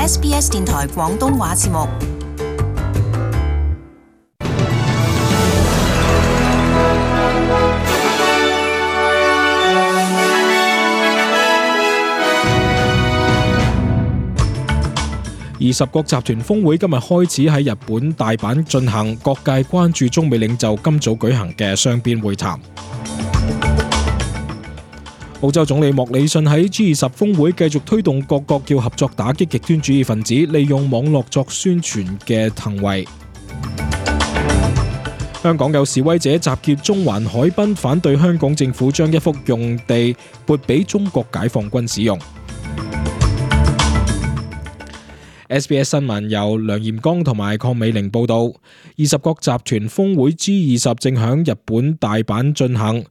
SBS 電台廣東話節目。20國集團峰會今日開始喺日本大阪進行，各界關注中美領袖今早舉行嘅雙邊會談。澳洲總理莫里遜喺 G20 峰會繼續推動各國要合作打擊極端主義分子利用網絡作宣傳嘅行為。香港有示威者集結中環海濱，反對香港政府將一幅用地撥俾中國解放軍使用。SBS 新聞由梁炎剛同埋鄺美玲報道。20國集團峰會 G20 正響日本大阪進行。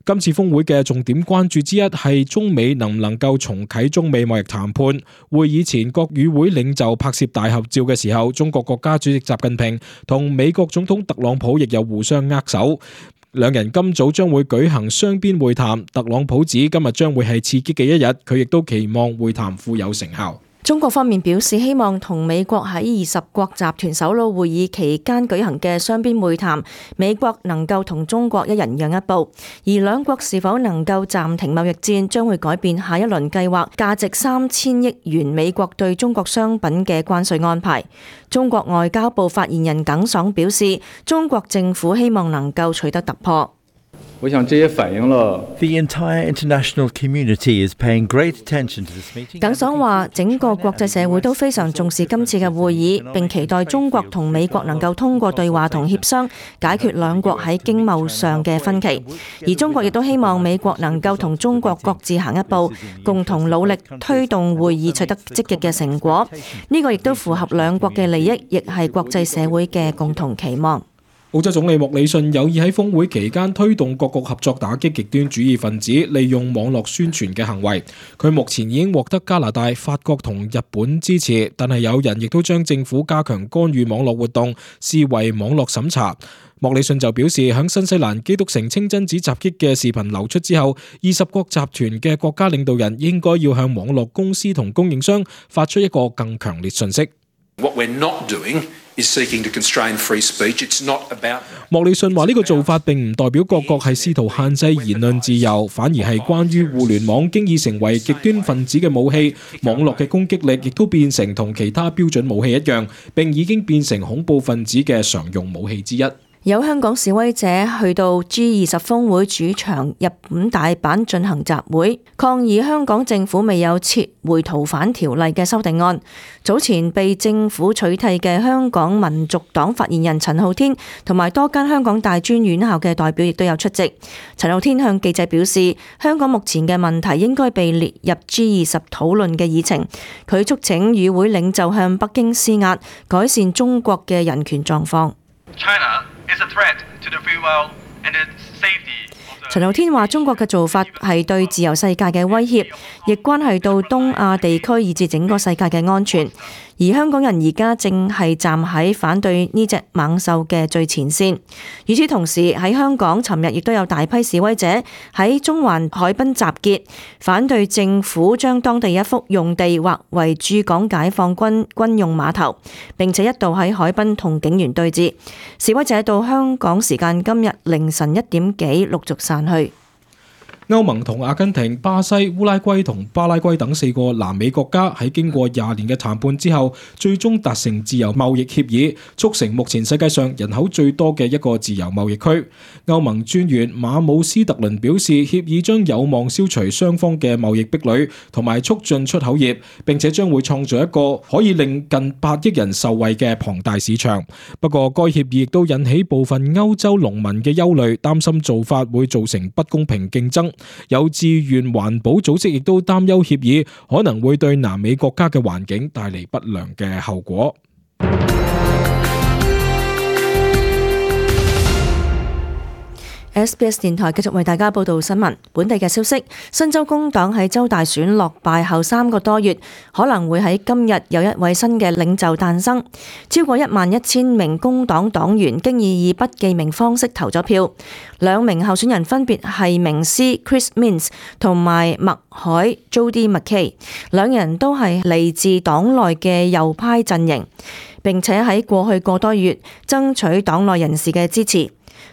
今次峰會嘅重點關注之一係中美能唔能夠重啟中美貿易談判。會議前，國與會領袖拍攝大合照嘅時候，中國國家主席習近平同美國總統特朗普亦有互相握手。兩人今早將會舉行雙邊會談。特朗普指今日將會係刺激嘅一日，佢亦都期望會談富有成效。中國方面表示希望同美國喺20國集團首腦會議期間舉行嘅雙邊會談，美國能夠同中國一人讓一步，而兩國是否能夠暫停貿易戰，將會改變下一輪計劃價值3000億元美國對中國商品嘅關稅安排。中國外交部發言人耿爽表示，中國政府希望能夠取得突破。我想這也反映了 The entire international community is paying great attention to this meeting. 耿爽話，整個國際社會都非常重視今次嘅會議，並期待中國同美國能夠通過對話同協商解決兩國喺經貿上嘅分歧，而中國亦都希望美國能夠同中國各自行一步，共同努力推動會議取得積極嘅成果。呢個亦都符合兩國嘅利益，亦係國際社會嘅共同期望。澳洲總理莫里遜有意喺峰會期間推動各國合作打擊極端主義分子利用網絡宣傳嘅行為。佢目前已經獲得加拿大、法國同日本支持，但係有人亦都將政府加強干預網絡活動視為網絡審查。莫里遜就表示，喺新西蘭基督城清真寺襲擊嘅視頻流出之後，20國集團嘅國家領導人應該要向網絡公司同供應商發出一個更強烈訊息。What we're not doing is seeking to constrain free speech. It's not about. 莫里遜話呢個做法並唔代表各國係試圖限制言論自由，反而係關於互聯網經已成為極端分子嘅武器，網絡嘅攻擊力亦都變成同其他標準武器一樣，並已經變成恐怖分子嘅常用武器之一。有香港示威者去到 G20 峰會主場日本大阪進行集會，抗議香港政府未有撤回逃犯條例嘅修訂案。早前被政府取締嘅香港民族黨發言人陳浩天同埋多間香港大專院校嘅代表亦都有出席。陳浩天向記者表示，香港目前嘅問題應該被列入 G20 討論嘅議程。佢促請與會領袖向北京施壓，改善中國嘅人權狀況。陳浩天話：中國嘅做法係對自由世界嘅威脅，亦關係到東亞地區以至整個世界嘅安全。而香港人而家正係站喺反對呢隻猛獸嘅最前線。與此同時，喺香港尋日亦都有大批示威者喺中環海濱集結，反對政府將當地一幅用地劃為駐港解放軍軍用碼頭，並且一度喺海濱同警員對峙。示威者到香港時間今日凌晨1點幾陸續散去。歐盟同阿根廷、巴西、烏拉圭同巴拉圭等4個南美國家喺經過20年嘅談判之後，最終達成自由貿易協議，促成目前世界上人口最多嘅一個自由貿易區。歐盟專員馬姆斯特倫表示，協議將有望消除雙方嘅貿易壁壘，同埋促進出口業，並且將會創造一個可以令近8億人受惠嘅龐大市場。不過，該協議亦都引起部分歐洲農民嘅憂慮，擔心做法會造成不公平競爭。有志願環保組織亦都擔憂協議可能會對南美國家嘅環境帶嚟不良嘅後果。SBS 電台繼續為大家報道新聞。本地嘅消息，新州工黨喺州大選落敗後3個多月，可能會喺今日有一位新嘅領袖誕生。超過11000名工黨黨員經已以不記名方式投咗票。2名候選人分別係明斯 Chris Minns 同埋麥海 Jody McKay， 兩人都係嚟自黨內嘅右派陣營，並且喺過去個多月爭取黨內人士嘅支持。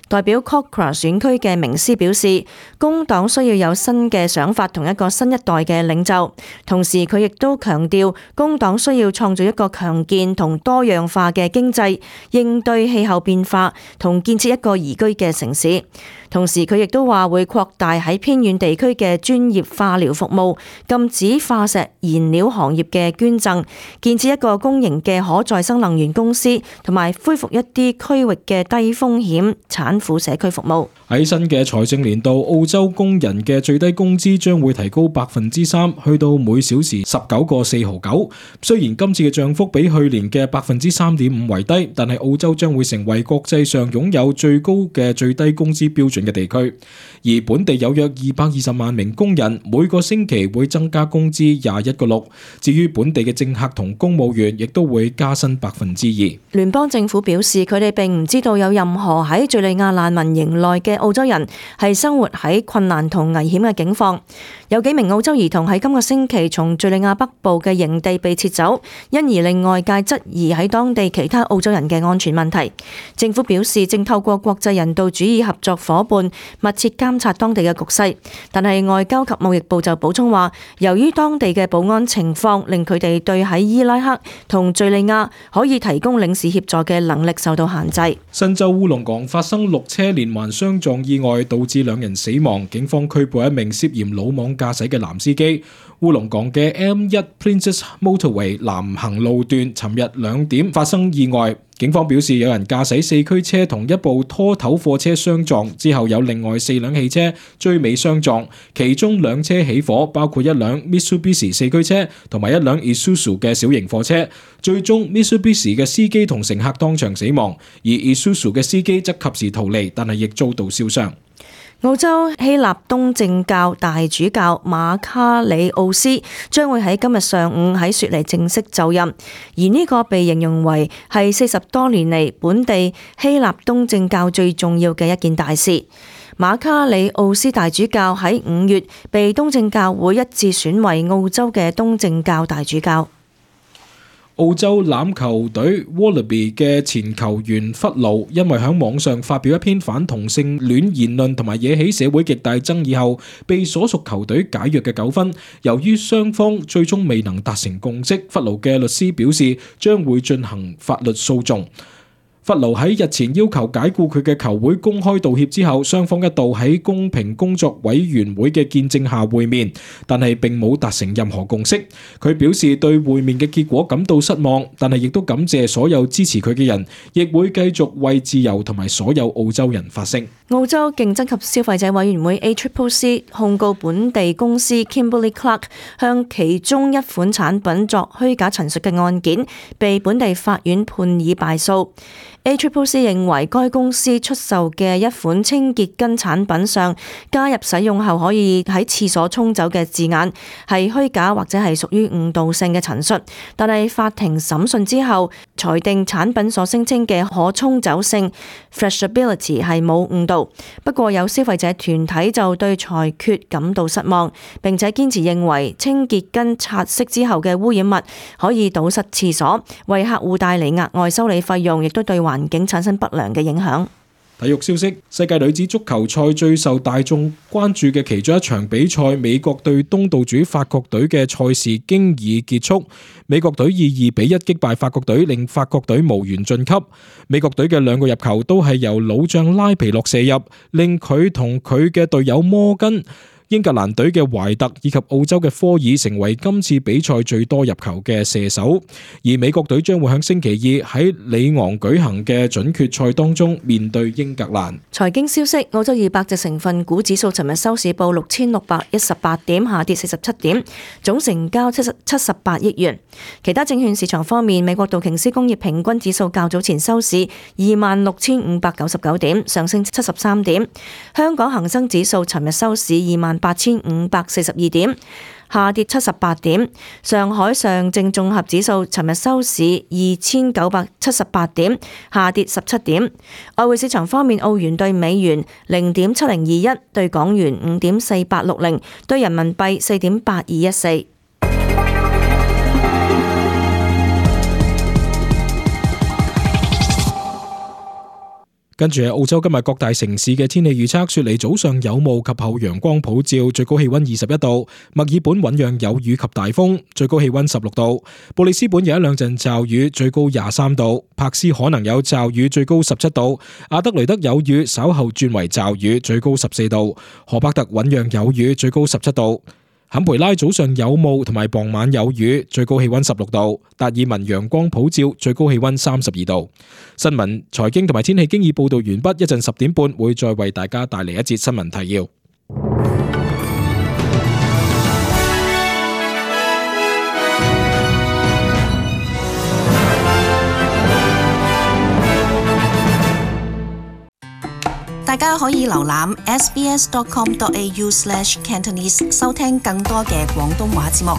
代表 Cochrane 選區嘅明斯表示，工黨需要有新嘅想法同一個新一代嘅領袖。同時佢亦都強調，工黨需要創造一個強健同多樣化嘅經濟，應對氣候變化同建設一個宜居嘅城市。同時佢亦都話會擴大喺偏遠地區嘅專業化療服務，禁止化石燃料行業嘅捐贈，建設一個公營嘅可再生能源公司，同埋恢復一啲區域嘅低風險產婦社區服務。喺新嘅財政年度，澳洲工人嘅最低工資將會提高3%，去到每小時19個4毫9。雖然今次嘅漲幅比去年嘅3.5%為低，但係澳洲將會成為國際上擁有最高嘅最低工資標準嘅地區。而本地有約220萬名工人，每個星期會增加工資21個6。至於本地嘅政客同公務員，亦都會加薪2%。聯邦政府表示，佢哋並唔知道有任何喺敘利亞難民營內嘅澳洲人係生活喺困難同危險嘅境況。有幾名澳洲兒童喺今個星期從敘利亞北部嘅營地被撤走，因而令外界質疑喺當地其他澳洲人嘅安全問題。政府表示正透過國際人道主義合作夥伴密切監察當地嘅局勢，但係外交及貿易部就補充話，由於當地嘅保安情況令佢哋對喺伊拉克同敘利亞可以提供領事協助嘅能力受到限制。新州烏龍港發生6車連環相撞意外，導致2人死亡，警方拘捕一名涉嫌魯莽駕駛嘅男司機。烏龍港嘅 M1 Princess Motorway 南行路段尋日2點發生意外，警方表示有人駕駛4驅車同一部拖頭貨車相撞，之後有另外4輛汽車追尾相撞，其中2車起火，包括一輛 Mitsubishi 4驅車同埋一輛 Isuzu 嘅小型貨車。最終 Mitsubishi 嘅司機同乘客當場死亡，而 Isuzu 嘅司機則及時逃離，但係亦遭到燒傷。澳洲希臘東正教大主教馬卡里奧斯將會喺今日上午喺雪梨正式就任，而呢個被形容為係40多年嚟本地希臘東正教最重要嘅一件大事。馬卡里奧斯大主教喺5月被東正教會一致選為澳洲嘅東正教大主教。澳洲欖球隊 Wallaby 嘅前球員弗勞因為喺網上發表一篇反同性戀言論同埋惹起社會極大爭議後，被所屬球隊解約嘅糾紛。由於雙方最終未能達成共識，弗勞嘅律師表示將會進行法律訴訟。弗勞喺日前要求解僱佢嘅球會公開道歉之後，雙方一度喺公平工作委員會嘅見證下會面，但係並冇達成任何共識。佢表示對會面嘅結果感到失望，但係亦都感謝所有支持佢嘅人，亦會繼續為自由同埋所有澳洲人發聲。澳洲競爭及消費者委員會 ACCC 控告本地公司 Kimberly Clark 向其中一款產品作虛假陳述嘅案件，被本地法院判以敗訴。ACCC 認為該公司出售嘅一款清潔巾產品上加入使用後可以喺廁所沖走嘅字眼係虛假或者係屬於誤導性嘅陳述，但係法庭審訊之後裁定產品所聲稱嘅可沖走性 flushability 係冇誤導。不過有消費者團體就對裁決感到失望，並且堅持認為清潔巾擦拭之後嘅污染物可以堵塞廁所，為客戶帶嚟額外修理費用，亦都對環境產生不良嘅影響。體育消息：世界女子足球賽最受大眾關注嘅其中一場比賽，美國對東道主法國隊嘅賽事經已結束。美國隊以2-1擊敗法國隊，令法國隊無緣晉級。美國隊嘅2個入球都係由老將拉皮洛射入，令佢同佢嘅隊友摩根英格蘭隊嘅懷特以及澳洲嘅科爾成為今次比賽最多入球嘅射手，而美國隊將會喺星期二喺里昂舉行嘅準決賽當中面對英格蘭。財經消息：澳洲200隻成分股指數尋日收市報6618點，下跌47點，總成交78億元。其他證券市場方面，美國道瓊斯工業平均指數較早前收市26,599點，上升73點。香港恒生指數尋日收市28,542點，下跌78點。上海上證綜合指數尋日收市2,978點，下跌17點。外匯市場方面，澳元對美元0.7021，對港元5.4860，對人民幣4.8214。跟住係澳洲今日各大城市嘅天氣預測：雪梨早上有霧及後陽光普照，最高氣溫21度；墨爾本醞釀有雨及大風，最高氣溫16度；布里斯本有一兩陣驟雨，最高23度；柏斯可能有驟雨，最高17度；阿德雷德有雨，稍後轉為驟雨，最高14度；荷伯特醞釀有雨，最高17度。坎培拉早上有霧同埋傍晚有雨，最高氣溫16度；達爾文陽光普照，最高氣溫32度。新聞、財經同埋天氣經已報道完畢，一陣10點半會再為大家帶嚟一節新聞提要。大家可以瀏覽 sbs.com.au/cantonese 收聽更多嘅廣東話節目。